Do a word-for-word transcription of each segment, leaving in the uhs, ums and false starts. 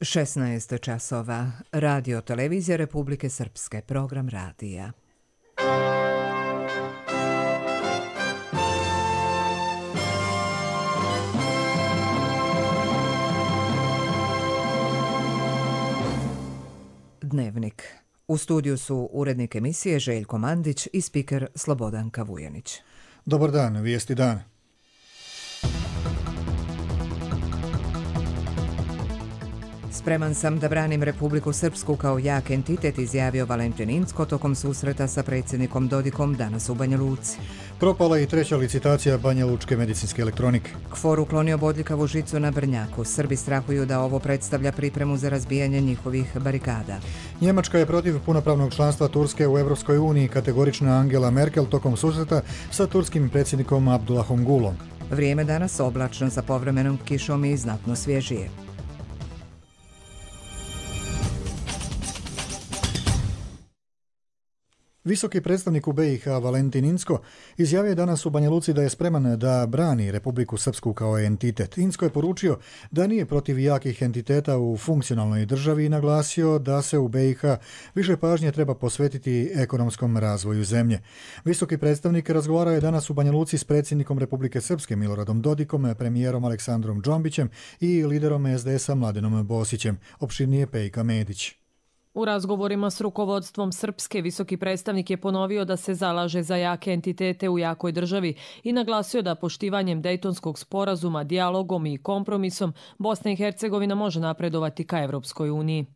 šesnaest časova. Radio Televizija Republike Srpske. Program radija. Dnevnik. U studiju su urednik emisije Željko Mandić i spiker Slobodanka Vujanić. Dobar dan, vijesti dan. Spreman sam da branim Republiku Srpsku kao jak entitet, izjavio Valentin Incko tokom susreta sa predsjednikom Dodikom danas u Banja Luci. Propala i treća licitacija Banja Lučke medicinske elektronike. KFOR uklonio bodljikavu žicu na Brnjaku. Srbi strahuju da ovo predstavlja pripremu za razbijanje njihovih barikada. Njemačka je protiv punopravnog članstva Turske u Evropskoj uniji, kategorična Angela Merkel tokom susreta sa turskim predsjednikom Abdullahom Gulom. Vrijeme danas oblačno sa povremenom kišom i znatno svježije. Visoki predstavnik u B i H Valentin Incko izjavio je danas u Banja Luci da je spreman da brani Republiku Srpsku kao entitet. Incko je poručio da nije protiv jakih entiteta u funkcionalnoj državi i naglasio da se u B i H više pažnje treba posvetiti ekonomskom razvoju zemlje. Visoki predstavnik razgovarao je danas u Banja Luci s predsjednikom Republike Srpske Miloradom Dodikom, premijerom Aleksandrom Džombićem i liderom S D S-a Mladenom Bosićem. Opširnije Pejka Medić. U razgovorima s rukovodstvom Srpske, visoki predstavnik je ponovio da se zalaže za jake entitete u jakoj državi i naglasio da poštivanjem Dejtonskog sporazuma, dijalogom i kompromisom Bosna i Hercegovina može napredovati ka Evropskoj uniji.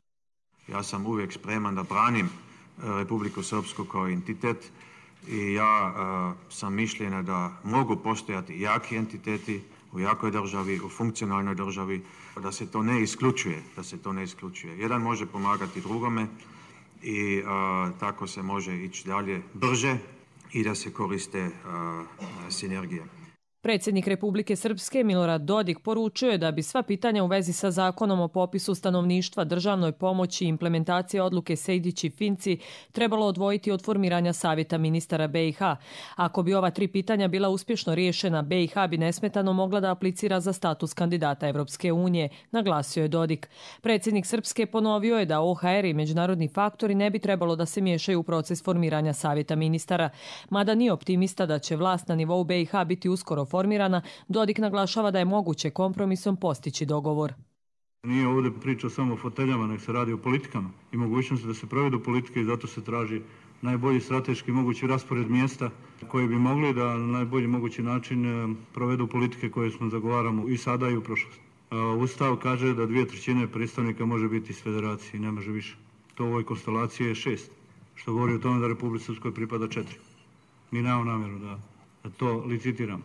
Ja sam uvijek spreman da branim Republiku Srpsku kao entitet i ja uh, sam mišljenja da mogu postojati jaki entiteti u jakoj državi, u funkcionalnoj državi, da se to ne isključuje, da se to ne isključuje. Jedan može pomagati drugome i a, tako se može ići dalje brže i da se koriste a, sinergije. Predsjednik Republike Srpske Milorad Dodik poručio je da bi sva pitanja u vezi sa zakonom o popisu stanovništva, državnoj pomoći i implementacije odluke Sejdić i Finci trebalo odvojiti od formiranja savjeta ministara B i H. Ako bi ova tri pitanja bila uspješno riješena, B i H bi nesmetano mogla da aplicira za status kandidata Evropske unije, naglasio je Dodik. Predsjednik Srpske ponovio je da O H R i međunarodni faktori ne bi trebalo da se miješaju u proces formiranja savjeta ministara. Mada nije optimista da će vlast na nivou B i H biti uskoro formirana, Dodik naglašava da je moguće kompromisom postići dogovor. Nije ovdje priča samo o foteljama, nek se radi o politikama i mogućnosti da se provedu politike i zato se traži najbolji strateški mogući raspored mjesta koji bi mogli da na najbolji mogući način provedu politike koje smo zagovaramo i sada i u prošlosti. Ustav kaže da dvije trećine predstavnika može biti iz federacije, ne može više. To u ovoj konstelaciji je šest, što govori o tome da Republici Srpskoj pripada četiri. Mi nemamo namjeru da, da to licitiramo.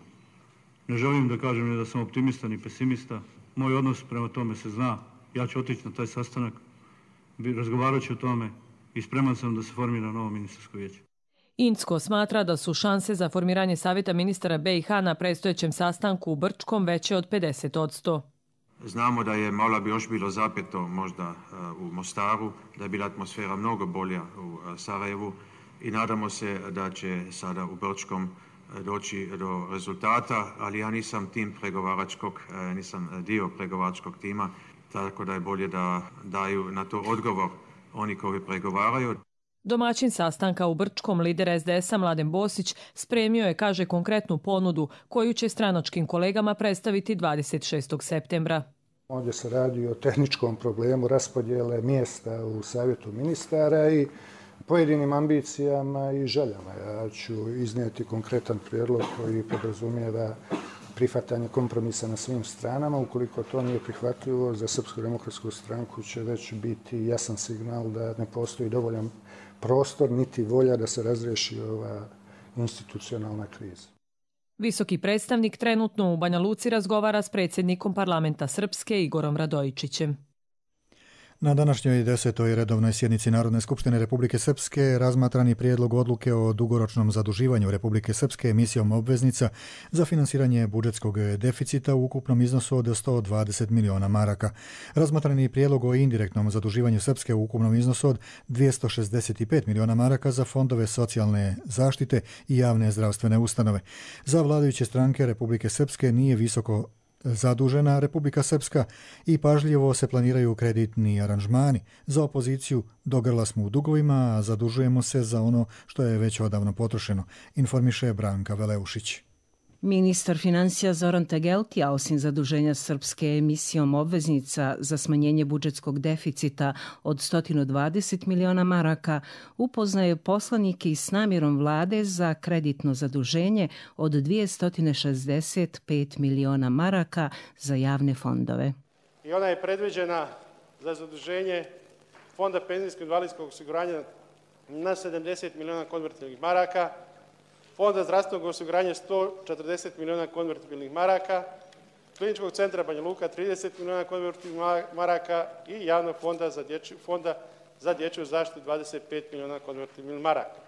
Ne želim da kažem ni da sam optimista ni pesimista. Moj odnos prema tome se zna. Ja ću otići na taj sastanak, razgovarat ću o tome i spreman sam da se formira novo ministarsko vijeće. Incko smatra da su šanse za formiranje savjeta ministara B i H na predstojećem sastanku u Brčkom veće od pedeset odsto. Znamo da je malo bi još bilo zapeto možda uh, u Mostaru, da je bila atmosfera mnogo bolja u uh, Sarajevu i nadamo se da će sada u Brčkom doći do rezultata, ali ja nisam tim pregovaračkog, nisam dio pregovaračkog tima, tako da je bolje da daju na to odgovor oni koji pregovaraju. Domaćin sastanka u Brčkom, lider S D S-a Mladen Bosić, spremio je, kaže, konkretnu ponudu koju će stranačkim kolegama predstaviti dvadeset šestog septembra. Ovdje se radi o tehničkom problemu raspodjele mjesta u savjetu ministara i pojedinim ambicijama i željama. Ja ću iznijeti konkretan prijedlog koji podrazumijeva prihvatanje kompromisa na svim stranama. Ukoliko to nije prihvatljivo, za Srpsku demokratsku stranku će već biti jasan signal da ne postoji dovoljan prostor niti volja da se razriješi ova institucionalna kriza. Visoki predstavnik trenutno u Banja Luci razgovara s predsjednikom parlamenta Srpske Igorom Radojičićem. Na današnjoj desetoj redovnoj sjednici Narodne skupštine Republike Srpske razmatran je prijedlog odluke o dugoročnom zaduživanju Republike Srpske emisijom obveznica za finansiranje budžetskog deficita u ukupnom iznosu od sto dvadeset miliona maraka. Razmatran je prijedlog o indirektnom zaduživanju Srpske u ukupnom iznosu od dvjesto šezdeset pet miliona maraka za fondove socijalne zaštite i javne zdravstvene ustanove. Za vladajuće stranke Republike Srpske nije visoko zadužena Republika Srpska i pažljivo se planiraju kreditni aranžmani. Za opoziciju do grla smo u dugovima, a zadužujemo se za ono što je već odavno potrošeno, informiše Branka Veleušić. Ministar financija Zoran Tegelti, a osim zaduženja Srpske emisijom obveznica za smanjenje budžetskog deficita od sto dvadeset miliona maraka, upoznaje poslanike s namjerom vlade za kreditno zaduženje od dvjesto šezdeset pet miliona maraka za javne fondove. I ona je predviđena za zaduženje Fonda penzijskog i invalidskog osiguranja na sedamdeset miliona konvertibilnih maraka, Fonda zdravstvenog osiguranja sto četrdeset miliona konvertibilnih maraka, Kliničkog centra Banja Luka trideset miliona konvertibilnih maraka i Javnog fonda za dječju, fonda za dječju zaštitu dvadeset pet miliona konvertibilnih maraka.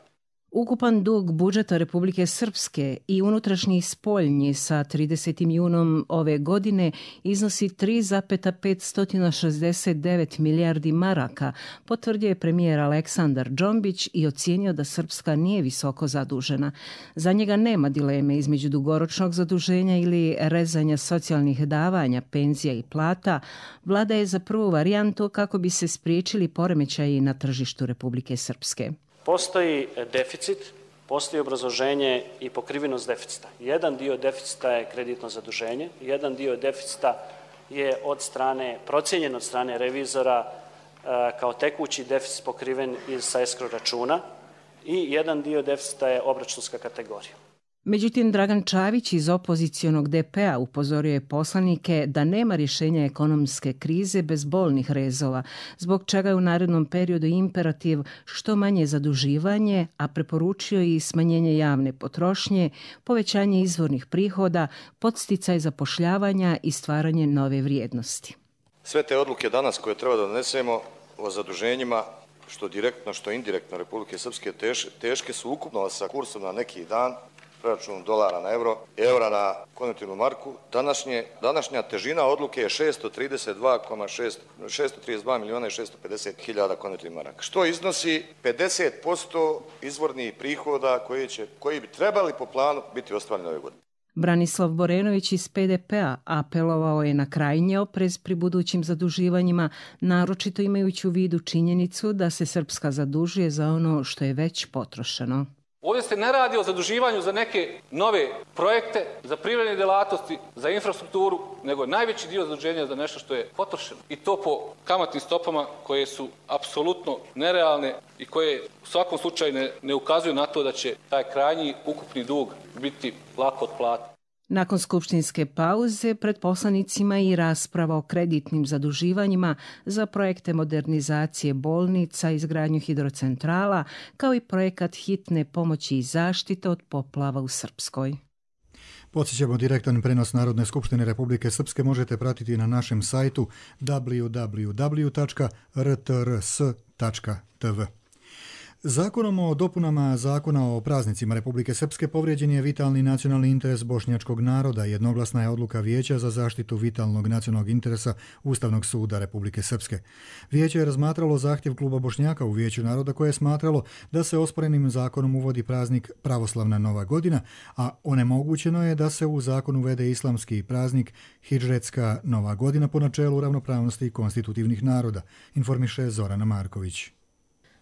Ukupan dug budžeta Republike Srpske i unutrašnji spoljni sa tridesetim junom ove godine iznosi tri zarez petsto šezdeset devet milijardi maraka, potvrdio je premijer Aleksandar Džombić i ocijenio da Srpska nije visoko zadužena. Za njega nema dileme između dugoročnog zaduženja ili rezanja socijalnih davanja, penzija i plata. Vlada je za prvu varijantu kako bi se spriječili poremećaji na tržištu Republike Srpske. Postoji deficit, postoji obrazloženje i pokrivenost deficita. Jedan dio deficita je kreditno zaduženje, jedan dio deficita je od strane, procijenjen od strane revizora kao tekući deficit pokriven sa escrow računa i jedan dio deficita je obračunska kategorija. Međutim, Dragan Čavić iz opozicionog de pe a upozorio je poslanike da nema rješenja ekonomske krize bez bolnih rezova, zbog čega je u narednom periodu imperativ što manje zaduživanje, a preporučio i smanjenje javne potrošnje, povećanje izvornih prihoda, podsticaj zapošljavanja i stvaranje nove vrijednosti. Sve te odluke danas koje treba da donesemo o zaduženjima, što direktno, što indirektno Republike Srpske, teš, teške su ukupno sa kursom na neki dan, preračunom dolara na euro, eura na konvertibilnu marku. Današnje, današnja težina odluke je šesto trideset dva miliona i šesto pedeset hiljada konvertibilnih maraka, što iznosi pedeset posto izvornih prihoda koji, će, koji bi trebali po planu biti ostvareni ove godine. Branislav Borenović iz pe de pe a apelovao je na krajnji oprez pri budućim zaduživanjima, naročito imajući u vidu činjenicu da se Srpska zadužuje za ono što je već potrošeno. Ovdje se ne radi o zaduživanju za neke nove projekte, za privredne djelatnosti, za infrastrukturu, nego je najveći dio zaduženja za nešto što je potrošeno. I to po kamatnim stopama koje su apsolutno nerealne i koje u svakom slučaju ne, ne ukazuju na to da će taj krajnji ukupni dug biti lako otplatiti. Nakon skupštinske pauze pred poslanicima i rasprava o kreditnim zaduživanjima za projekte modernizacije bolnica, izgradnju hidrocentrala, kao i projekat hitne pomoći i zaštite od poplava u Srpskoj. Podsjećamo, direktan prenos Narodne skupštine Republike Srpske možete pratiti na našem sajtu w w w tačka r t r s tačka t v. Zakonom o dopunama Zakona o praznicima Republike Srpske povrijeđen je vitalni nacionalni interes bošnjačkog naroda. Jednoglasna je odluka Vijeća za zaštitu vitalnog nacionalnog interesa Ustavnog suda Republike Srpske. Vijeće je razmatralo zahtjev kluba Bošnjaka u Vijeću naroda koje je smatralo da se osporenim zakonom uvodi praznik Pravoslavna Nova godina, a onemogućeno je da se u zakon uvede islamski praznik Hidžretska Nova godina po načelu ravnopravnosti konstitutivnih naroda, informiše Zorana Marković.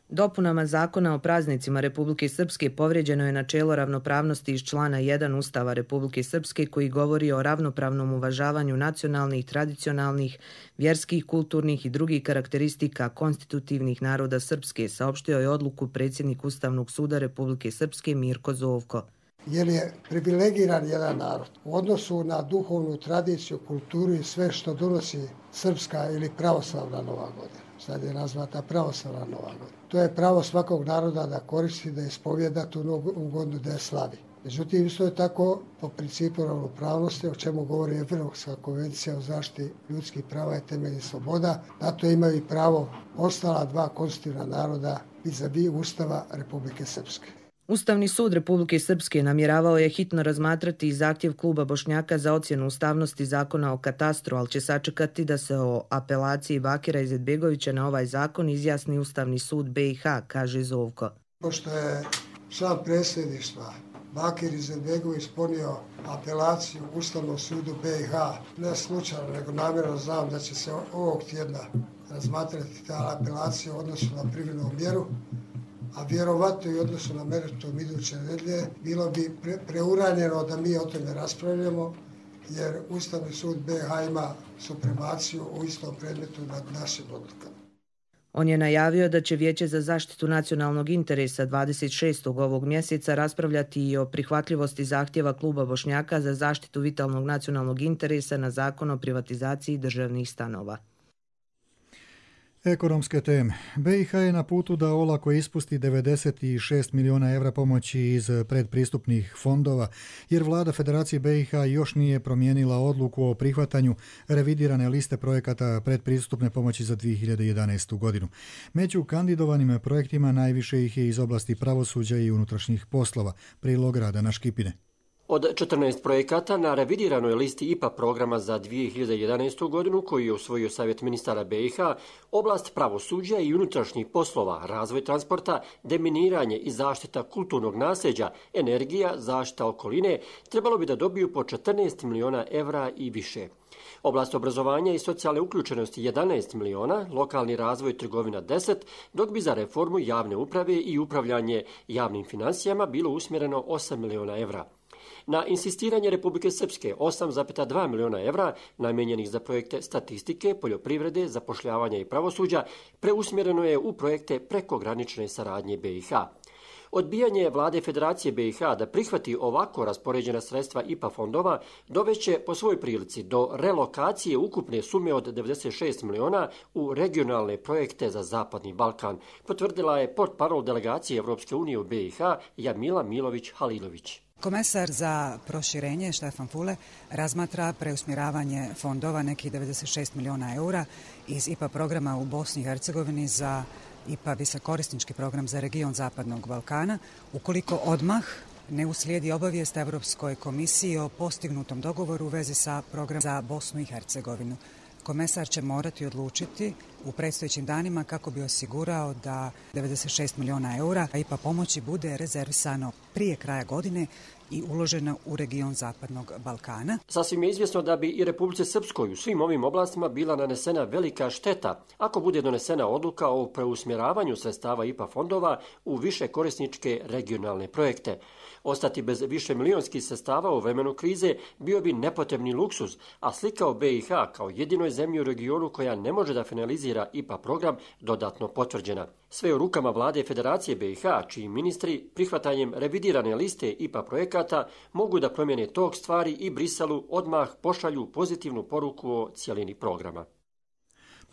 Dopunama Zakona o praznicima Republike Srpske povrijeđeno je načelo ravnopravnosti iz člana jedan Ustava Republike Srpske koji govori o ravnopravnom uvažavanju nacionalnih, tradicionalnih, vjerskih, kulturnih i drugih karakteristika konstitutivnih naroda Srpske, saopštio je odluku predsjednik Ustavnog suda Republike Srpske Mirko Zovko. Jer je privilegiran jedan narod u odnosu na duhovnu tradiciju, kulturu i sve što donosi srpska ili pravoslavna Nova godina. Sad je nazvata pravoslavna Nova godina. To je pravo svakog naroda da koristi, da ispovjeda tu novu godinu, da je slavi. Međutim, isto je tako po principu ravnopravnosti, o čemu govori Evropska konvencija o zaštiti ljudskih prava i temeljnih sloboda. Na to imaju i pravo ostala dva konstitutivna naroda vis-a-vis Ustava Republike Srpske. Ustavni sud Republike Srpske namjeravao je hitno razmatrati zahtjev kluba Bošnjaka za ocjenu ustavnosti zakona o katastru, ali će sačekati da se o apelaciji Bakira Izetbegovića na ovaj zakon izjasni Ustavni sud be i ha, kaže Zovko. Pošto je član predsjedništva Bakir Izetbegović podnio apelaciju Ustavnom sudu B i H. Ne slučajno, nego namjerno znam da će se ovog tjedna razmatrati ta apelacija u odnosu na privremenu mjeru, a vjerovatno i odnosu na meritum iduće nedelje. Bilo bi pre, preuranjeno da mi o tome raspravljamo, jer Ustavni sud B i H ima supremaciju u istom predmetu nad našim odlukama. On je najavio da će Vijeće za zaštitu nacionalnog interesa dvadeset šestog ovog mjeseca raspravljati i o prihvatljivosti zahtjeva Kluba Bošnjaka za zaštitu vitalnog nacionalnog interesa na zakon o privatizaciji državnih stanova. Ekonomske teme. B i H je na putu da olako ispusti devedeset šest milijuna evra pomoći iz predpristupnih fondova, jer vlada Federacije B i H još nije promijenila odluku o prihvatanju revidirane liste projekata predpristupne pomoći za dvije hiljade jedanaestu godinu. Među kandidovanim projektima najviše ih je iz oblasti pravosuđa i unutrašnjih poslova. Prilog Radana Škipine. Od četrnaest projekata na revidiranoj listi I P A programa za dvije hiljade jedanaestu godinu, koji je usvojio Savjet ministara B i H, oblast pravosuđa i unutrašnjih poslova, razvoj transporta, deminiranje i zaštita kulturnog nasljeđa, energija, zaštita okoline, trebalo bi da dobiju po četrnaest miliona evra i više. Oblast obrazovanja i socijalne uključenosti jedanaest miliona, lokalni razvoj i trgovina deset, dok bi za reformu javne uprave i upravljanje javnim financijama bilo usmjereno osam miliona evra. Na insistiranje Republike Srpske osam zarez dva miliona evra namijenjenih za projekte statistike, poljoprivrede, zapošljavanja i pravosuđa preusmjereno je u projekte prekogranične saradnje B i H. Odbijanje vlade Federacije B i H da prihvati ovako raspoređena sredstva I P A fondova doveće po svojoj prilici do relokacije ukupne sume od devedeset šest miliona u regionalne projekte za Zapadni Balkan, potvrdila je portparol delegacije Evropske unije u B i H Jamila Milović-Halilović. Komesar za proširenje Štefan Fule razmatra preusmjeravanje fondova nekih devedeset šest miliona eura iz I P A programa u Bosni i Hercegovini za I P A visokorisnički program za region Zapadnog Balkana, ukoliko odmah ne uslijedi obavijest Evropskoj komisiji o postignutom dogovoru u vezi sa programom za Bosnu i Hercegovinu. Komesar će morati odlučiti u predstojećim danima kako bi osigurao da devedeset šest miliona eura I P A pomoći bude rezervisano prije kraja godine i uložena u region Zapadnog Balkana. Sasvim je izvjesno da bi i Republici Srpskoj u svim ovim oblastima bila nanesena velika šteta ako bude donesena odluka o preusmjeravanju sredstava I P A fondova u više korisničke regionalne projekte. Ostati bez više milionskih sredstava u vremenu krize bio bi nepotrebni luksuz, a slika o B i H kao jedinoj zemlji u regionu koja ne može da finalizira I P A program dodatno potvrđena. Sve u rukama vlade Federacije B i H, čiji ministri prihvatanjem revidirane liste I P A projekata mogu da promijene tok stvari i Briselu odmah pošalju pozitivnu poruku o cijelini programa.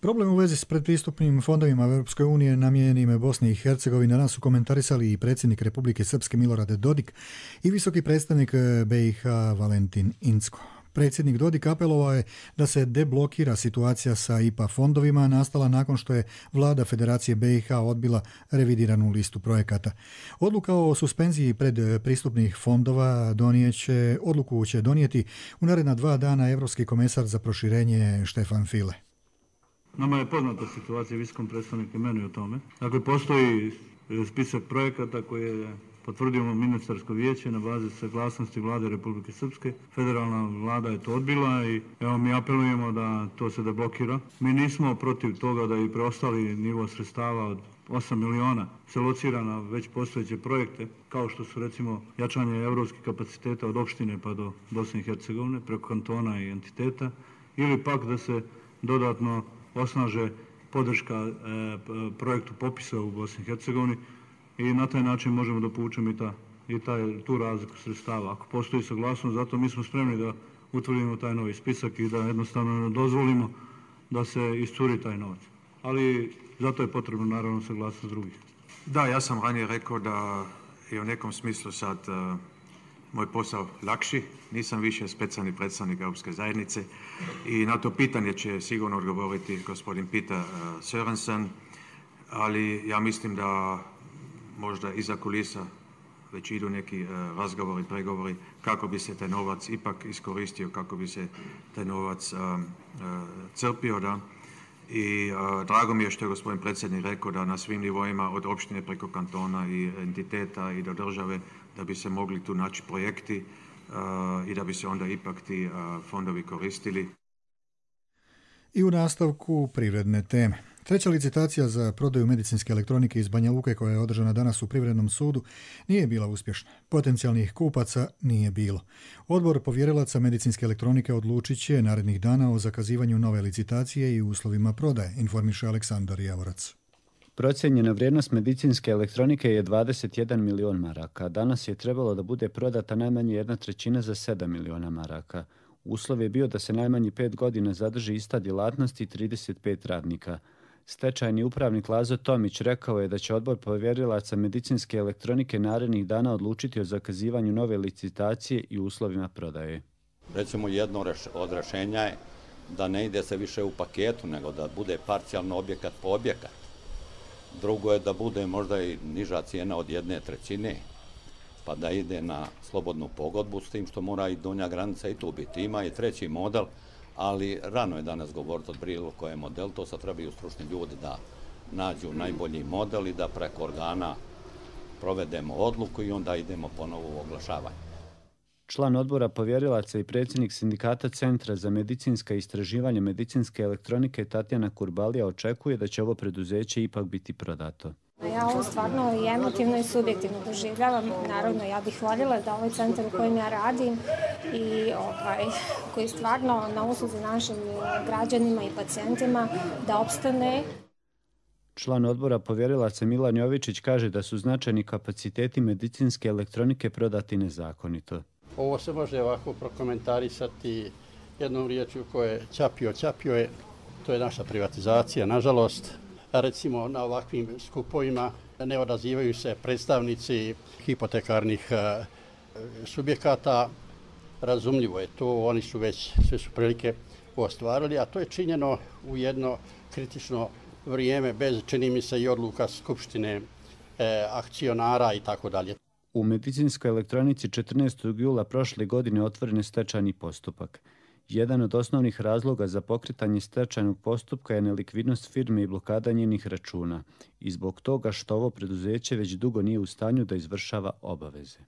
Problem u vezi s predpristupnim fondovima Europske unije namijenjenim Bosni i Hercegovini danas su komentarisali i predsjednik Republike Srpske Milorad Dodik i visoki predstavnik B i H Valentin Incko. Predsjednik Dodik apelovao je da se deblokira situacija sa I P A fondovima nastala nakon što je vlada Federacije B i H odbila revidiranu listu projekata. Odluka o suspenziji predpristupnih fondova donijeće, odluku će donijeti u naredna dva dana Evropski komesar za proširenje Štefan File. Nama je poznata situacija, visokom predstavniku i meni o tome. Dakle, postoji spisak projekata koje je potvrdio ministarsko vijeće na bazi saglasnosti vlade Republike Srpske. Federalna vlada je to odbila i evo mi apelujemo da to se deblokira. Mi nismo protiv toga da i preostali nivo sredstava od osam miliona se locira na već postojeće projekte, kao što su recimo jačanje evropskih kapaciteta od opštine pa do Bosne i Hercegovine, preko kantona i entiteta, ili pak da se dodatno osnaže podrška e, projektu popisa u Bosni i Hercegovini i na taj način možemo da povučemo i, ta, i taj, tu razliku sredstava. Ako postoji saglasnost, zato mi smo spremni da utvrdimo taj novi spisak i da jednostavno dozvolimo da se iscuri taj novac. Ali zato je potrebno naravno saglasnost drugih. Da, ja sam ranije rekao da je u nekom smislu sad uh, moj posao lakši. Nisam više specijalni predstavnik Europske zajednice i na to pitanje će sigurno odgovoriti gospodin Peter uh, Sørensen, ali ja mislim da možda iza kulisa već idu neki uh, razgovori, pregovori kako bi se taj novac ipak iskoristio, kako bi se taj novac uh, uh, crpio, da. I uh, drago mi je što je gospodin predsjednik rekao da na svim nivoima od opštine preko kantona i entiteta i do države da bi se mogli tu naći projekti i da bi se onda ipak ti fondovi koristili. I u nastavku privredne teme. Treća licitacija za prodaju medicinske elektronike iz Banja Luke koja je održana danas u Privrednom sudu nije bila uspješna. Potencijalnih kupaca nije bilo. Odbor povjerilaca medicinske elektronike odlučit će narednih dana o zakazivanju nove licitacije i uslovima prodaje, informiše Aleksandar Javorac. Procijenjena vrijednost medicinske elektronike je dvadeset jedan milion maraka. Danas je trebalo da bude prodata najmanje jedna trećina za sedam miliona maraka. Uslov je bio da se najmanje pet godina zadrži ista djelatnost i trideset pet radnika. Stečajni upravnik Lazo Tomić rekao je da će odbor povjerilaca medicinske elektronike narednih dana odlučiti o zakazivanju nove licitacije i uslovima prodaje. Recimo jedno od rješenja je da ne ide se više u paketu, nego da bude parcijalno objekat po objekat. Drugo je da bude možda i niža cijena od jedne trećine, pa da ide na slobodnu pogodbu, s tim što mora i donja granica i tu biti. Ima i treći model, ali rano je danas govoriti od bilo koje model, to sad trebaju stručni ljudi da nađu najbolji model i da preko organa provedemo odluku i onda idemo ponovo u oglašavanje. Član odbora povjerilaca i predsjednik sindikata Centra za medicinska istraživanja medicinske elektronike Tatjana Kurbalija očekuje da će ovo preduzeće ipak biti prodato. Ja ovo stvarno i emotivno i subjektivno doživljavam. Naravno, ja bih voljela da ovaj centar u kojem ja radim i ovaj, koji stvarno na usluzi našim građanima i pacijentima da opstane. Član odbora povjerilaca Milan Jovičić kaže da su značajni kapaciteti medicinske elektronike prodati nezakonito. Ovo se može ovako prokomentarisati jednom riječju koje je ćapio, ćapio je. To je naša privatizacija, nažalost. Recimo na ovakvim skupovima ne odazivaju se predstavnici hipotekarnih subjekata. Razumljivo je to, oni su već sve su prilike ostvarili, a to je činjeno u jedno kritično vrijeme bez, čini mi se, i odluka skupštine e, akcionara i tako dalje. U medicinskoj elektronici četrnaestog jula prošle godine otvoren je stečajni postupak. Jedan od osnovnih razloga za pokretanje stečajnog postupka je nelikvidnost firme i blokada njenih računa i zbog toga što ovo preduzeće već dugo nije u stanju da izvršava obaveze.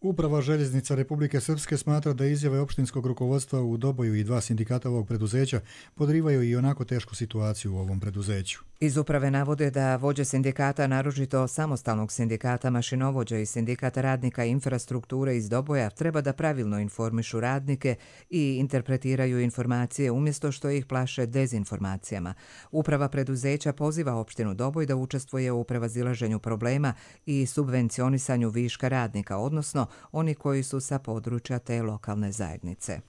Uprava željeznica Republike Srpske smatra da izjave opštinskog rukovodstva u Doboju i dva sindikata ovog preduzeća podrivaju i onako tešku situaciju u ovom preduzeću. Iz uprave navode da vođe sindikata, naročito samostalnog sindikata mašinovođa i sindikata radnika infrastrukture iz Doboja, treba da pravilno informišu radnike i interpretiraju informacije umjesto što ih plaše dezinformacijama. Uprava preduzeća poziva opštinu Doboj da učestvuje u prevazilaženju problema i subvencionisanju viška radnika, odnosno oni koji su sa područja te lokalne zajednice.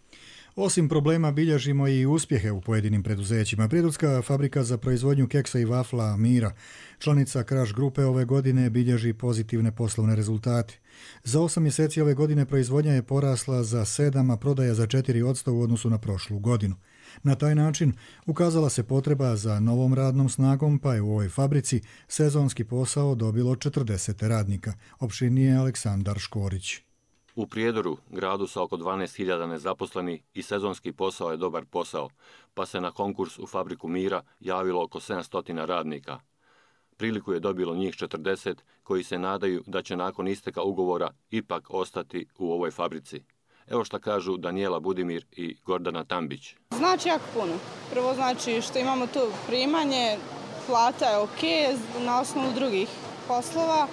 Osim problema bilježimo i uspjehe u pojedinim preduzećima. Prijedorska fabrika za proizvodnju keksa i vafla Mira, članica Kraš grupe, ove godine bilježi pozitivne poslovne rezultate. Za osam mjeseci ove godine proizvodnja je porasla za sedam, a prodaja za četiri posto u odnosu na prošlu godinu. Na taj način ukazala se potreba za novom radnom snagom, pa je u ovoj fabrici sezonski posao dobilo četrdeset radnika. Opširnije Aleksandar Škorić. U Prijedoru, gradu sa oko dvanaest hiljada nezaposlenih, i sezonski posao je dobar posao, pa se na konkurs u fabriku Mira javilo oko sedamsto radnika. Priliku je dobilo njih četrdeset koji se nadaju da će nakon isteka ugovora ipak ostati u ovoj fabrici. Evo šta kažu Danijela Budimir i Gordana Tambić. Znači jako puno. Prvo znači što imamo tu primanje, plata je ok na osnovu drugih poslova.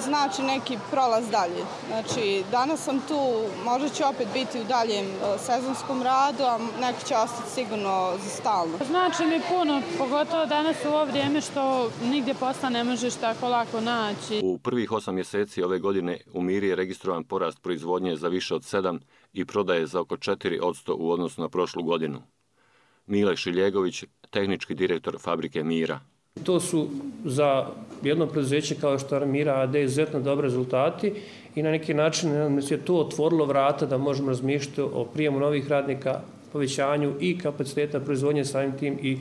Znači neki prolaz dalje. Znači danas sam tu, možda ću opet biti u daljem sezonskom radu, a neki će ostati sigurno za stalno. Znači mi puno, pogotovo danas u ovo vrijeme što nigdje posla ne možeš tako lako naći. U prvih osam mjeseci ove godine u Miri je registrovan porast proizvodnje za više od sedam i prodaje za oko četiri posto u odnosu na prošlu godinu. Mile Šiljegović, tehnički direktor fabrike Mira. To su za jedno preduzeće kao što je Mira A D izuzetno dobri rezultati i na neki način je to otvorilo vrata da možemo razmišljati o prijemu novih radnika, povećanju i kapaciteta proizvodnje, samim tim i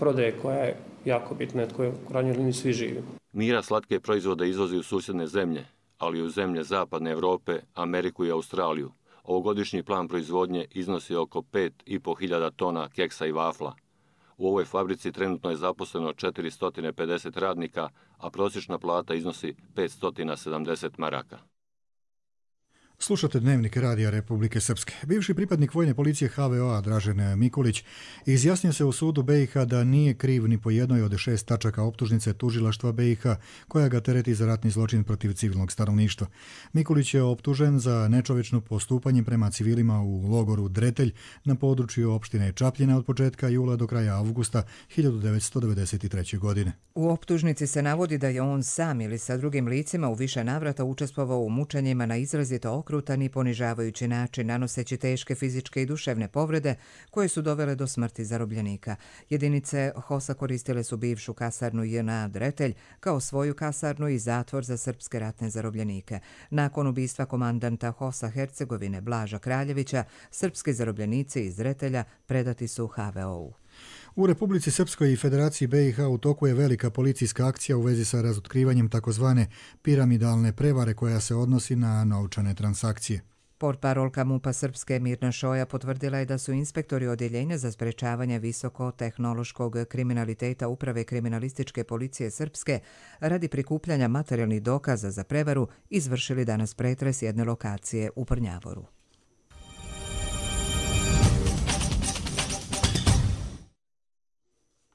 prodaje koja je jako bitna, od koje u krajnjoj liniji svi živi. Mira slatke proizvode izvozi u susjedne zemlje, ali i u zemlje Zapadne Europe, Ameriku i Australiju. Ovogodišnji plan proizvodnje iznosi oko pet i po hiljada tona keksa i vafla. U ovoj fabrici trenutno je zaposleno četiristo pedeset radnika, a prosječna plata iznosi petsto sedamdeset maraka. Slušate Dnevnik Radija Republike Srpske. Bivši pripadnik vojne policije H V O-a Dražen Mikulić izjasnio se u sudu B i H da nije kriv ni po jednoj od šest tačaka optužnice tužilaštva B i H koja ga tereti za ratni zločin protiv civilnog stanovništva. Mikulić je optužen za nečovečno postupanje prema civilima u logoru Dretelj na području opštine Čapljina od početka jula do kraja avgusta hiljadu devetsto devedeset treće. godine. U optužnici se navodi da je on sam ili sa drugim licima u više navrata učestvovao u mučenjima na izrazito okrutan i ponižavajući način, nanoseći teške fizičke i duševne povrede koje su dovele do smrti zarobljenika. Jedinice H O S-a koristile su bivšu kasarnu J N A Dretelj kao svoju kasarnu i zatvor za srpske ratne zarobljenike. Nakon ubistva komandanta H O S-a Hercegovine Blaža Kraljevića, srpski zarobljenici iz Dretelja predati su H V O-u. U Republici Srpskoj i Federaciji B i H u toku je velika policijska akcija u vezi sa razotkrivanjem takozvane piramidalne prevare koja se odnosi na novčane transakcije. Portparolka MUP-a Srpske Mirna Šoja potvrdila je da su inspektori Odjeljenja za sprečavanje visoko-tehnološkog kriminaliteta Uprave kriminalističke policije Srpske radi prikupljanja materijalnih dokaza za prevaru izvršili danas pretres jedne lokacije u Prnjavoru.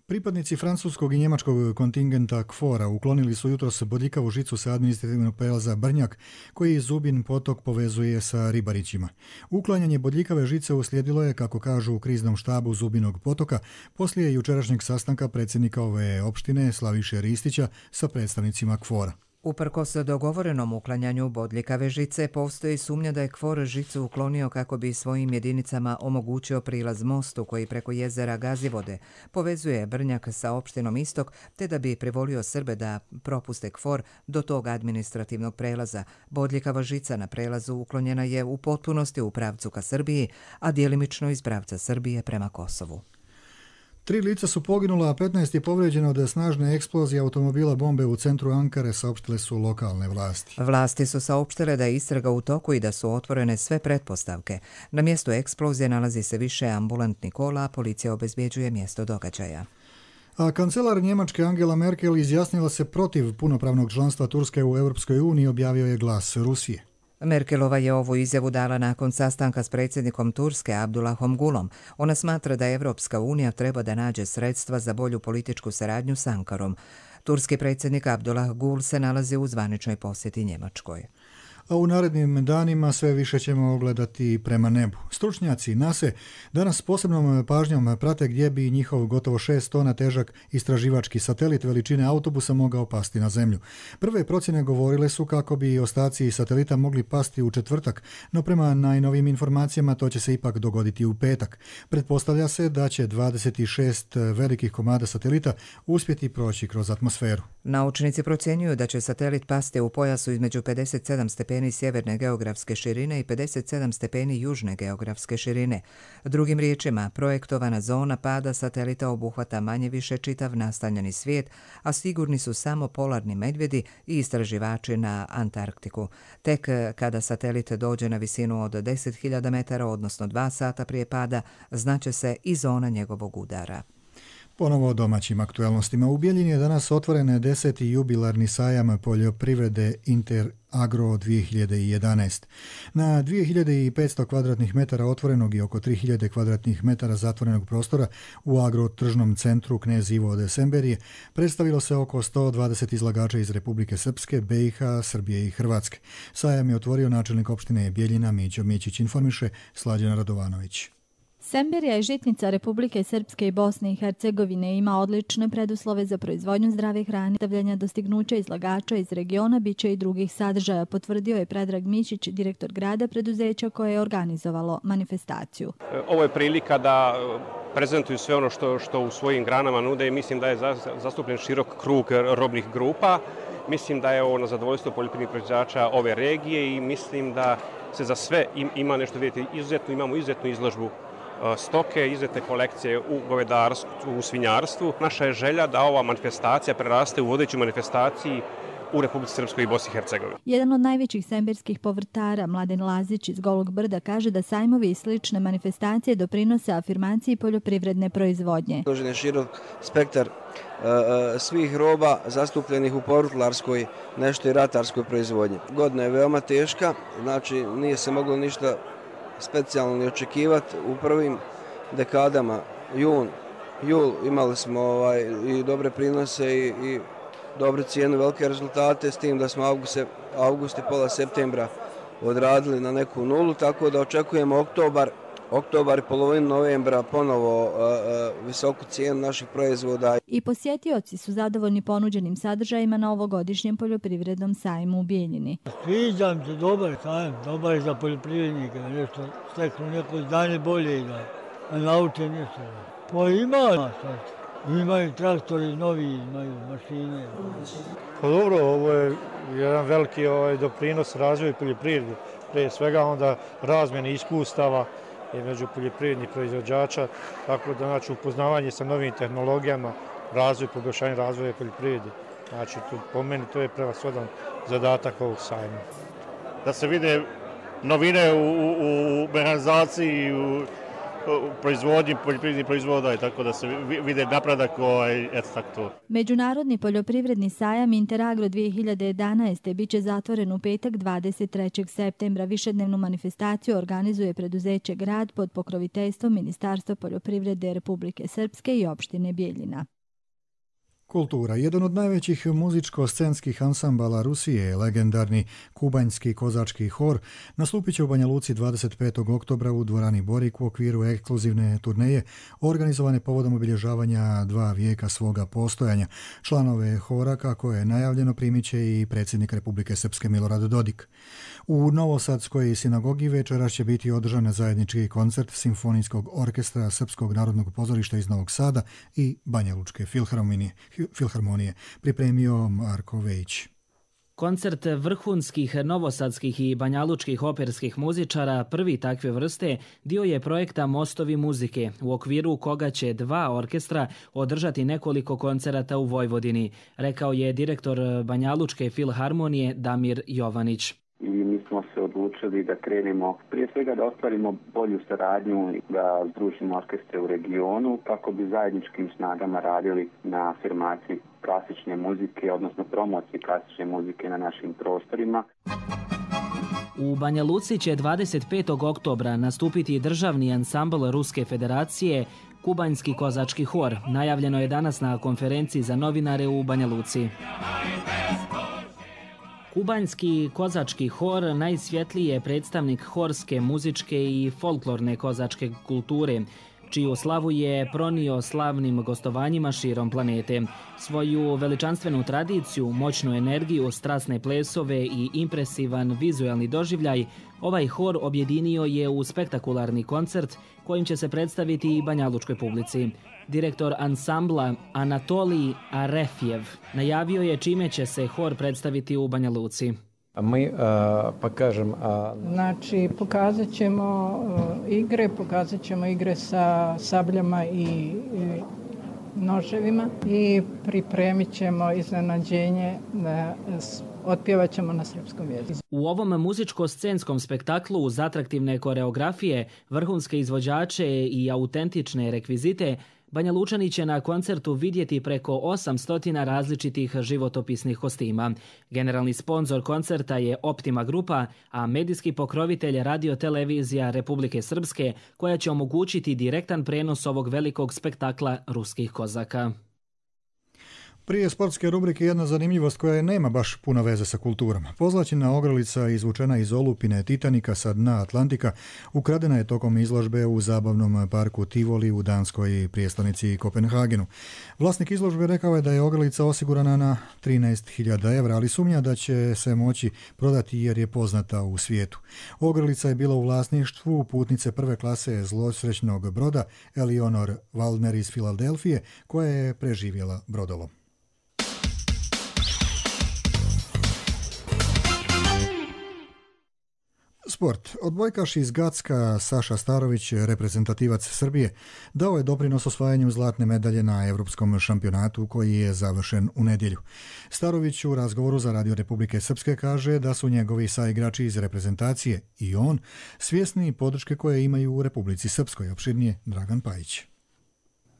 Pripadnici francuskog i njemačkog kontingenta K F O R-a uklonili su jutros bodljikavu žicu sa administrativnog prelaza Brnjak, koji Zubin potok povezuje sa Ribarićima. Uklanjanje bodljikave žice uslijedilo je, kako kažu u kriznom štabu Zubinog potoka, poslije jučerašnjeg sastanka predsjednika ove opštine Slaviše Ristića sa predstavnicima K F O R-a. Uprkos dogovorenom uklanjanju bodljikave žice, postoji sumnja da je K F O R žicu uklonio kako bi svojim jedinicama omogućio prilaz mostu koji preko jezera Gazivode povezuje Brnjak sa opštinom Istok, te da bi privolio Srbe da propuste K F O R do tog administrativnog prelaza. Bodljikava žica na prelazu uklonjena je u potpunosti u pravcu ka Srbiji, a djelimično iz pravca Srbije prema Kosovu. Tri lica su poginula, a petnaest je povrijeđeno od snažne eksplozije automobila bombe u centru Ankare, saopštile su lokalne vlasti. Vlasti su saopštile da je istraga u toku i da su otvorene sve pretpostavke. Na mjestu eksplozije nalazi se više ambulantnih kola, a policija obezbjeđuje mjesto događaja. A kancelar Njemačke Angela Merkel izjasnila se protiv punopravnog članstva Turske u Europskoj uniji, objavio je Glas Rusije. Merkelova je ovu izjavu dala nakon sastanka s predsjednikom Turske Abdullahom Gulom. Ona smatra da Evropska unija treba da nađe sredstva za bolju političku saradnju s Ankarom. Turski predsjednik Abdullah Gul se nalazi u zvaničnoj posjeti Njemačkoj. A u narednim danima sve više ćemo ogledati prema nebu. Stručnjaci nase danas s posebnom pažnjom prate gdje bi njihov gotovo šest tona težak istraživački satelit veličine autobusa mogao pasti na zemlju. Prve procjene govorile su kako bi ostaci satelita mogli pasti u četvrtak, no prema najnovijim informacijama to će se ipak dogoditi u petak. Pretpostavlja se da će dvadeset šest velikih komada satelita uspjeti proći kroz atmosferu. Naučnici procjenjuju da će satelit pasti u pojasu između pedeset sedam stepeni sjeverne geografske širine i pedeset sedam stepeni južne geografske širine. Drugim riječima, projektovana zona pada satelita obuhvata manje više čitav nastanjeni svijet, a sigurni su samo polarni medvjedi i istraživači na Antarktiku. Tek kada satelit dođe na visinu od deset hiljada metara, odnosno dva sata prije pada, znaće se i zona njegovog udara. Ponovo o domaćim aktualnostima. U Bijeljini je danas otvoren deseti jubilarni sajam poljoprivrede Interagro dvije hiljade jedanaest. Na dvije hiljade petsto kvadratnih metara otvorenog i oko tri hiljade kvadratnih metara zatvorenog prostora u agrotržnom centru Knez Ivo od Semberije predstavilo se oko sto dvadeset izlagača iz Republike Srpske, B i H, Srbije i Hrvatske. Sajam je otvorio načelnik opštine Bijeljina Mićo Mićić, informiše Slađana Radovanović. Semberija je žitnica Republike Srpske i Bosne i Hercegovine, ima odlične preduslove za proizvodnju zdrave hrane, stavljanja dostignuća izlagača iz regiona, biće i drugih sadržaja, potvrdio je Predrag Mićić, direktor grada preduzeća koje je organizovalo manifestaciju. Ovo je prilika da prezentuju sve ono što, što u svojim granama nude i mislim da je zastupljen širok krug robnih grupa. Mislim da je ovo na zadovoljstvo poljoprivrednih proizvođača ove regije i mislim da se za sve ima nešto vidjeti. Izuzetno, imamo izuzetnu izložbu stoke, izuzetne kolekcije u govedarstvu, u svinjarstvu. Naša je želja da ova manifestacija preraste u vodeću manifestaciji u Republici Srpskoj i Bosni i Hercegovini. Jedan od najvećih semberskih povrtara, Mladen Lazić iz Golog Brda, kaže da sajmovi i slične manifestacije doprinose afirmaciji poljoprivredne proizvodnje. Dožen je širok spektar svih roba zastupljenih u povrtlarskoj, nešto i ratarskoj proizvodnji. Godina je veoma teška, znači nije se moglo ništa specijalno ni očekivati. U prvim dekadama, jun, jul, imali smo ovaj, i dobre prinose i, i dobre cijene, velike rezultate, s tim da smo august, august i pola septembra odradili na neku nulu, tako da očekujemo oktobar, oktobar i polovinu novembra ponovo uh, uh, visoku cijenu naših proizvoda. I posjetioci su zadovoljni ponuđenim sadržajima na ovogodišnjem poljoprivrednom sajmu u Bijeljini. Sviđam se, dobar sajam, dobar je za poljoprivrednike, nešto steknu neko znanje bolje da nauče nešto. Pa ima, imaju traktori novi, imaju mašine. Pa dobro, ovo je jedan veliki ovaj, doprinos razvoju poljoprivrede, prije svega onda razmjene iskustava među poljoprivrednih proizvođača, tako da znači upoznavanje sa novim tehnologijama, razvoj, poboljšanje razvoja poljoprivrede. Znači, tu, po meni to je prevashodan zadatak ovog sajma. Da se vide novine u, u, u mehanizaciji, u, u proizvodnji poljoprivrednih proizvoda i tako da se vide napredak ovaj, eto tako to. Međunarodni poljoprivredni sajam Interagro dvije hiljade jedanaeste biće zatvoren u petak dvadeset trećeg septembra. Višednevnu manifestaciju organizuje preduzeće Grad pod pokroviteljstvom Ministarstva poljoprivrede Republike Srpske i opštine Bijeljina. Kultura. Jedan od najvećih muzičko-scenskih ansambala Rusije, legendarni kubanjski kozački hor, nastupit će u Banja Luci dvadeset petog oktobra u dvorani Borik u okviru ekskluzivne turneje organizovane povodom obilježavanja dva vijeka svoga postojanja. Članove hora, kako je najavljeno, primit će i predsjednik Republike Srpske Milorad Dodik. U Novosadskoj sinagogi večeras će biti održan zajednički koncert Simfonijskog orkestra Srpskog narodnog pozorišta iz Novog Sada i Banja Lučke filharmonije, filharmonije pripremio Marko Vejić. Koncert vrhunskih novosadskih i banjalučkih operskih muzičara, prvi takve vrste, dio je projekta Mostovi muzike, u okviru koga će dva orkestra održati nekoliko koncerata u Vojvodini, rekao je direktor Banjalučke filharmonije Damir Jovanić. I mi smo se odlučili da krenemo prije svega da ostvarimo bolju saradnju i da združimo orkestre u regionu kako bi zajedničkim snagama radili na afirmaciji klasične muzike, odnosno promociji klasične muzike na našim prostorima. U Banja Luci će dvadeset petog oktobra nastupiti državni ansambl Ruske federacije Kubanjski kozački hor. Najavljeno je danas na konferenciji za novinare u Banja Luci. Kubanjski kozački hor najsvjetliji je predstavnik horske, muzičke i folklorne kozačke kulture, čiju slavu je pronio slavnim gostovanjima širom planete. Svoju veličanstvenu tradiciju, moćnu energiju, strasne plesove i impresivan vizualni doživljaj, ovaj hor objedinio je u spektakularni koncert kojim će se predstaviti i banjalučkoj publici. Direktor ansambla Anatolij Arefjev najavio je čime će se hor predstaviti u Banja Luci. Mi a, pokažem... A... Znači, pokazat ćemo uh, igre, pokazat ćemo igre sa sabljama i, i noževima i pripremit ćemo iznenađenje, da otpjevat ćemo na srpskom jeziku. U ovom muzičko-scenskom spektaklu uz atraktivne koreografije, vrhunske izvođače i autentične rekvizite, Banja Lučani će na koncertu vidjeti preko osamsto različitih životopisnih kostima. Generalni sponzor koncerta je Optima Grupa, a medijski pokrovitelj Radio-televizija Republike Srpske, koja će omogućiti direktan prenos ovog velikog spektakla ruskih kozaka. Prije sportske rubrike jedna zanimljivost koja nema baš puno veze sa kulturom. Pozlaćena ogrlica izvučena iz olupine Titanika sa dna Atlantika ukradena je tokom izložbe u zabavnom parku Tivoli u danskoj prijestolnici Kopenhagenu. Vlasnik izložbe rekao je da je ogrlica osigurana na trinaest hiljada evra, ali sumnja da će se moći prodati jer je poznata u svijetu. Ogrlica je bila u vlasništvu putnice prve klase zlosrećnog broda Eleanor Waldner iz Filadelfije, koja je preživjela brodolom. Sport. Odbojkaš iz Gacka Saša Starović, reprezentativac Srbije, dao je doprinos osvajanju zlatne medalje na Evropskom šampionatu koji je završen u nedjelju. Starović u razgovoru za Radio Republike Srpske kaže da su njegovi saigrači iz reprezentacije i on svjesni podrške koje imaju u Republici Srpskoj. Opširnije Dragan Pajić.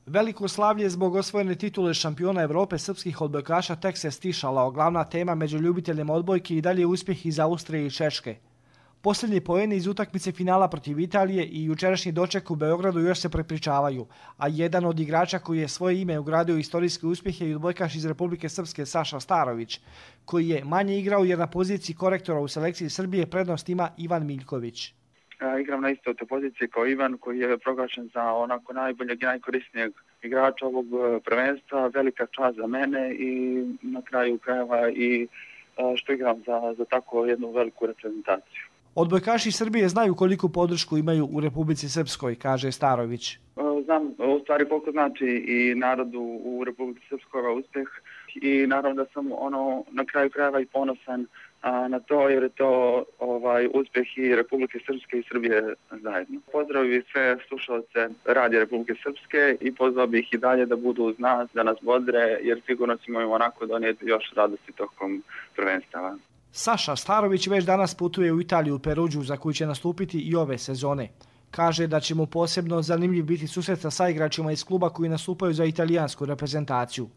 Veliko slavlje zbog osvojene titule šampiona Evrope srpskih odbojkaša tek se stišala, glavna tema među ljubiteljima odbojke i dalje uspjeh iz Austrije i Češke. Posljednji poeni iz utakmice finala protiv Italije i jučerašnji doček u Beogradu još se prepričavaju, a jedan od igrača koji je svoje ime ugradio u istorijski uspjeh je i odbojkaš iz Republike Srpske Saša Starović, koji je manje igrao jer na poziciji korektora u selekciji Srbije prednost ima Ivan Miljković. Igram na istoj toj poziciji kao Ivan, koji je proglašen za onako najboljeg i najkorisnijeg igrača ovog prvenstva. Velika čast za mene i na kraju krajeva i što igram za, za tako jednu veliku reprezentaciju. Odbojkaši Srbije znaju koliku podršku imaju u Republici Srpskoj, kaže Starović. Znam u stvari koliko znači i narodu u Republici Srpskoj ovaj uspjeh i naravno da sam ono na kraju krajeva i ponosan a, na to jer je to ovaj uspjeh i Republike Srpske i Srbije zajedno. Pozdravim sve slušalce Radija Republike Srpske i pozvao bih i dalje da budu uz nas, da nas bodre jer sigurno ćemo im onako donijeti još radosti tokom prvenstava. Saša Starović već danas putuje u Italiju, Peruđu, za koju će nastupiti i ove sezone. Kaže da će mu posebno zanimljiv biti susret sa saigračima iz kluba koji nastupaju za italijansku reprezentaciju.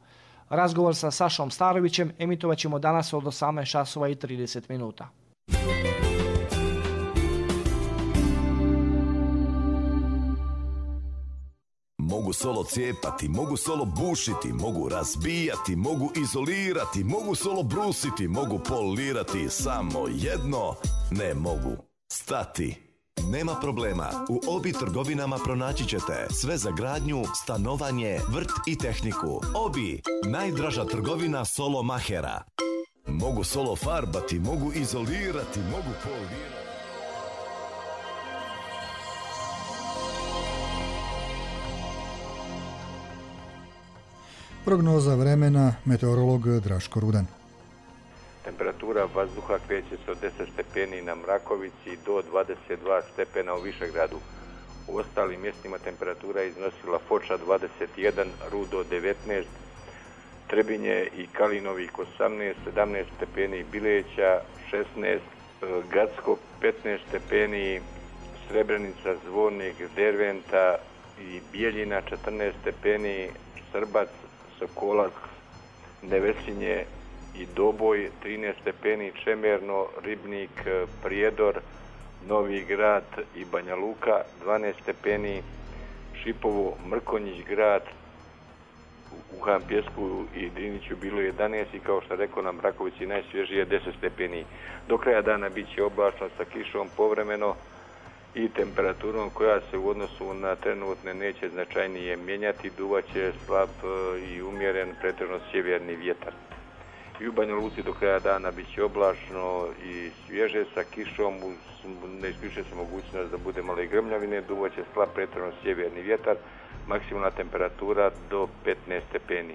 Razgovor sa Sašom Starovićem emitovat ćemo danas od osamnaest časova i trideset minuta. Mogu solo cijepati, mogu solo bušiti, mogu razbijati, mogu izolirati, mogu solo brusiti, mogu polirati, samo jedno ne mogu stati. Nema problema, u Obi trgovinama pronaći ćete sve za gradnju, stanovanje, vrt i tehniku. Obi, najdraža trgovina solo mahera. Mogu solo farbati, mogu izolirati, mogu polirati. Prognoza vremena, meteorolog Draško Rudan. Temperatura vazduha kreće se od deset stepeni na Mrakovici do dvadeset dva stepena u Višegradu. U ostalim mjestima temperatura je iznosila Foča dvadeset jedan, Rudo devetnaest, Trebinje i Kalinovik osamnaest, sedamnaest stepeni, Bileća šesnaest, Gacko petnaest stepeni, Srebrenica, Zvornik, Derventa i Bijeljina četrnaest stepeni, Srbac, Sokolac, Nevesinje i Doboj trinaest stepeni, Čemerno, Ribnik, Prijedor, Novi Grad i Banja Luka dvanaest stepeni, Šipovo, Mrkonjić grad, u Hampjesku i Driniću bilo jedanaest i kao što rekao na Mrakovici najsvježije deset stepeni. Do kraja dana bit će oblačno sa kišom povremeno i temperaturom koja se u odnosu na trenutne neće značajnije mijenjati, duvaće slab i umjeren pretežno sjeverni vjetar. I u Banja Luci do kraja dana bit će oblačno i svježe sa kišom, ne isključuje se mogućnost da bude malo i grmljavine, duvaće slab pretežno sjeverni vjetar, maksimalna temperatura do petnaest stepeni.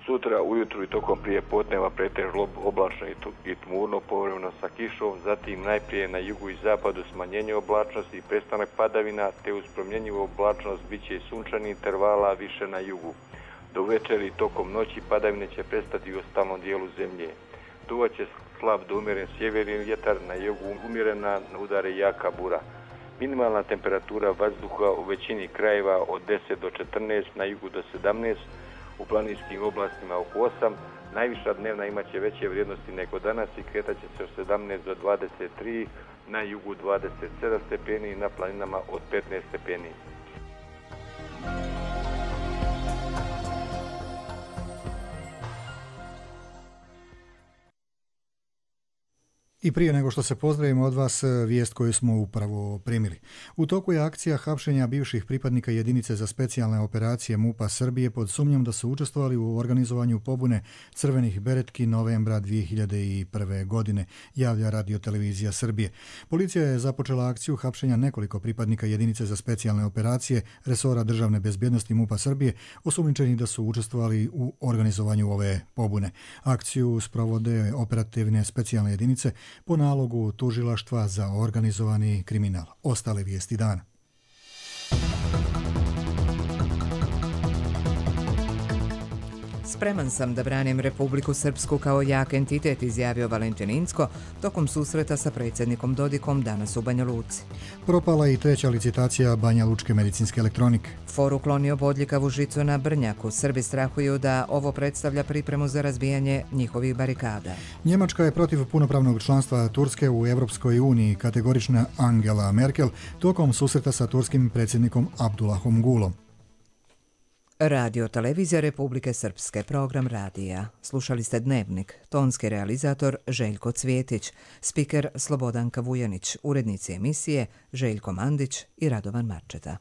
Sutra ujutru i tokom prije podneva pretežno oblačno i tmurno, povremeno sa kišom, zatim najprije na jugu i zapadu smanjenje oblačnosti i prestanak padavina, te uz promjenjivu oblačnost bit će i sunčani intervala više na jugu. Do večeri tokom noći padavine će prestati u ostalom dijelu zemlje. Duvaće slab do umjeren sjeverni vjetar, na jugu umjerena, na udare jaka bura. Minimalna temperatura vazduha u većini krajeva od deset do četrnaest, na jugu do sedamnaest, u planinskim oblastima oko osam, najviša dnevna imaće veće vrijednosti nego danas i kretaće se od sedamnaest do dvadeset tri, na jugu dvadeset sedam stepeni i na planinama od petnaest stepeni. I prije nego što se pozdravimo od vas, vijest koju smo upravo primili. U toku je akcija hapšenja bivših pripadnika jedinice za specijalne operacije MUP-a Srbije pod sumnjom da su učestvovali u organizovanju pobune crvenih beretki novembra dvije hiljade prve. godine, javlja Radio-televizija Srbije. Policija je započela akciju hapšenja nekoliko pripadnika jedinice za specijalne operacije resora državne bezbjednosti MUP-a Srbije, osumnjičeni da su učestvovali u organizovanju ove pobune. Akciju sprovode operativne specijalne jedinice po nalogu tužilaštva za organizovani kriminal. Ostale vijesti dana. Spreman sam da branim Republiku Srpsku kao jak entitet, izjavio Valentin Incko tokom susreta sa predsjednikom Dodikom danas u Banja Luci. Propala i treća licitacija Banja Lučke medicinske elektronike. For uklonio bodljikavu žicu na Brnjaku. Srbi strahuju da ovo predstavlja pripremu za razbijanje njihovih barikada. Njemačka je protiv punopravnog članstva Turske u Evropskoj uniji, kategorična Angela Merkel, tokom susreta sa turskim predsjednikom Abdullahom Gulom. Radio Televizija Republike Srpske, program radija. Slušali ste Dnevnik, tonski realizator Željko Cvjetić, spiker Slobodanka Vujanić, urednici emisije Željko Mandić i Radovan Marčeta.